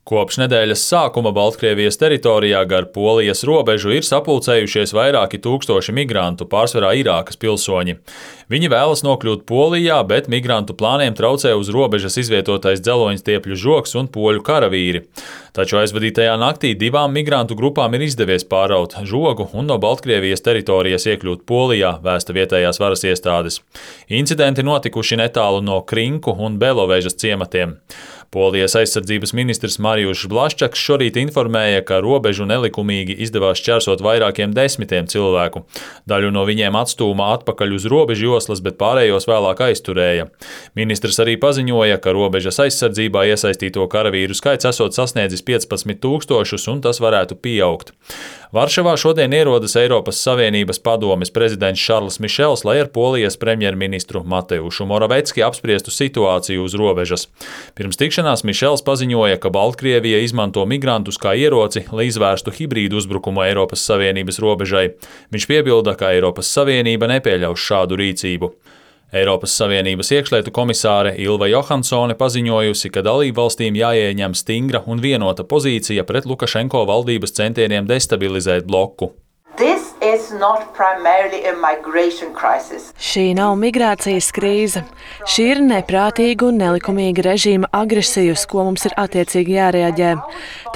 Kopš nedēļas sākuma Baltkrievijas teritorijā gar Polijas robežu ir sapulcējušies vairāki tūkstoši migrantu, pārsvarā Irākas pilsoņi. Viņi vēlas nokļūt Polijā, bet migrantu plāniem traucē uz robežas izvietotais dzeloņstiepļu žogs un poļu karavīri. Taču aizvadītajā naktī divām migrantu grupām ir izdevies pāraut žogu un no Baltkrievijas teritorijas iekļūt Polijā, vēsta vietējās varas iestādes. Incidenti notikuši netālu no Krinku un Belovežas ciematiem. Polijas aizsardzības ministrs Marijus Blaščaks šorīt informēja, ka robežu nelikumīgi izdevās šķērsot vairākiem desmitiem cilvēku. Daļu no viņiem atstūma atpakaļ uz robežu joslas, bet pārējos vēlāk aizturēja. Ministrs arī paziņoja, ka robežas aizsardzībā iesaistīto karavīru skaits esot sasniedzis 15 000 un tas varētu pieaugt. Varšavā šodien ierodas Eiropas Savienības padomes prezidents Šarls Mišels, lai ar Polijas premjerministru Mateušu Moravecki apspriestu situāciju uz robežas. Pirms tikšanās Mišels paziņoja, ka Baltkrievija izmanto migrantus kā ieroci, lai izvērstu hibrīdu uzbrukumu Eiropas Savienības robežai. Viņš piebilda, ka Eiropas Savienība nepieļaus šādu rīcību. Eiropas Savienības iekšlietu komisāre Ilva Johansone paziņojusi, ka dalībvalstīm jāieņem stingra un vienota pozīcija pret Lukašenko valdības centieniem destabilizēt bloku. Šī nav migrācijas krīze. Šī ir neprātīga un nelikumīga režīma agresija, uz ko mums ir attiecīgi jārēģē.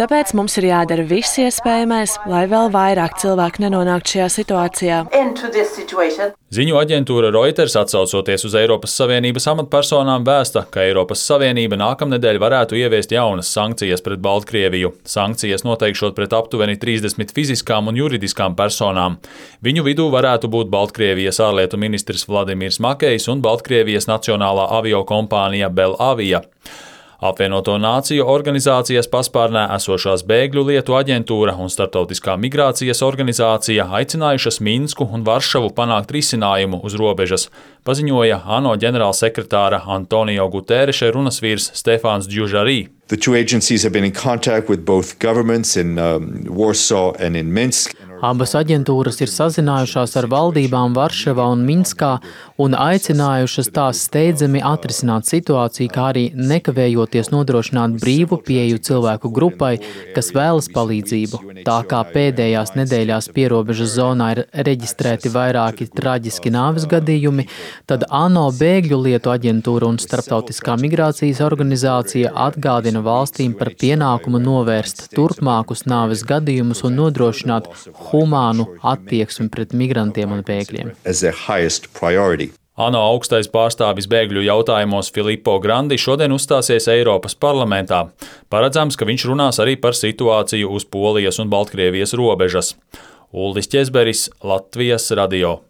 Tāpēc mums ir jādara viss iespējamais, lai vēl vairāk cilvēku nenonāktu šajā situācijā. Ziņu aģentūra Reuters, atsaucoties uz Eiropas Savienības amatpersonām, vēsta, ka Eiropas Savienība nākamnedēļ varētu ieviest jaunas sankcijas pret Baltkrieviju. Sankcijas noteikšot pret aptuveni 30 fiziskām un juridiskām personām. Viņu vidū varētu būt Baltkrievijas ārlietu ministrs Vladimirs Makejs un Baltkrievijas nacionālā aviokompānija Belavija. Apvienoto Nāciju organizācijas paspārnē esošās bēgļu lietu aģentūra un Startautiskā migrācijas organizācija aicinājušas Minsku un Varšavu panākt risinājumu uz robežas, paziņoja ANO ģenerālsekretāra Antonio Guterreša runas vīrs Stefāns Džužarī. The two agencies have been in contact with both governments in Warsaw and in Minsk. Abas aģentūras ir sazinājušās ar valdībām Varšavā un Minskā un aicinājušas tās steidzami atrisināt situāciju, kā arī nekavējoties nodrošināt brīvu pieeju cilvēku grupai, kas vēlas palīdzību. Tā kā pēdējās nedēļās pierobežas zonā ir reģistrēti vairāki traģiski nāves gadījumi, tad ANO bēgļu lietu aģentūra un Starptautiskā migrācijas organizācija atgādina valstīm par pienākumu novērst turpmākus nāves gadījumus un nodrošināt humānu attieksmi pret migrantiem un bēgļiem. ANO augstais pārstāvis bēgļu jautājumos Filippo Grandi šodien uzstāsies Eiropas parlamentā. Paredzams, ka viņš runās arī par situāciju uz Polijas un Baltkrievijas robežas. Uldis Ķezberis, Latvijas radio.